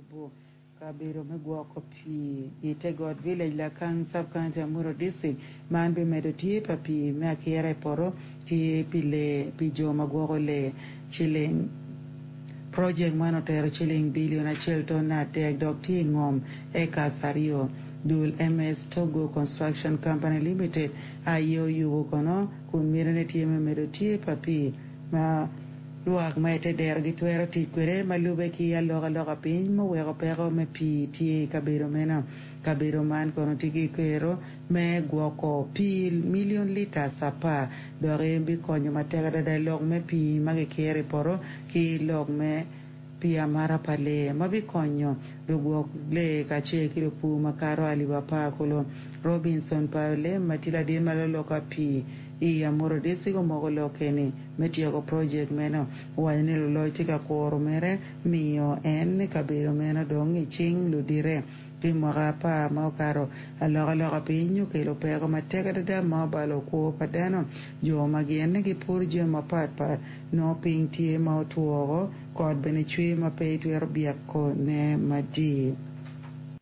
yubo kabedo me gwoko pii i te got village Lakang Sub-County Amuru District. Man bimedo tye pa pii me akira i poto ki pi lee pi jo ma gwoko lee. Ciling Projek man otero ciling bilion 1.3 dok tye i ngom acres aryo. Dul MS Togo Construction Company Limited aye oyubo kono kun mitine tye me medo tye pa pii ma lwak ma i te dero gitwero tic kwede ma lube ki alokaloka piny ma oweko peko me pii tye i kabedo meno. Kabedo man kono tye ki kero me gwoko pii milion liters 10 dok bikonyo matek adada i lok me pii ma gikiro i poto ki lok me pii amata pa lee ma bikonyo lugwok lee kacel ki lupur makato 10,000 kulu. Robinson Paolem ma tye ladit ma loyo pii i Amuru District omoko lok ni me tyeko projek meno owaco ni luloc tye ka kuro mere miyo en kabedo meno dong i cing ludite. Pi mwaka 10 ma okato, alokaloka piny okelo peko matek adada ma obalo kwo pa dano. Jo ma gin gipuro jami mapatpat nongo piny tye ma otwo kot bene cwer ma pe itwero byekone madit.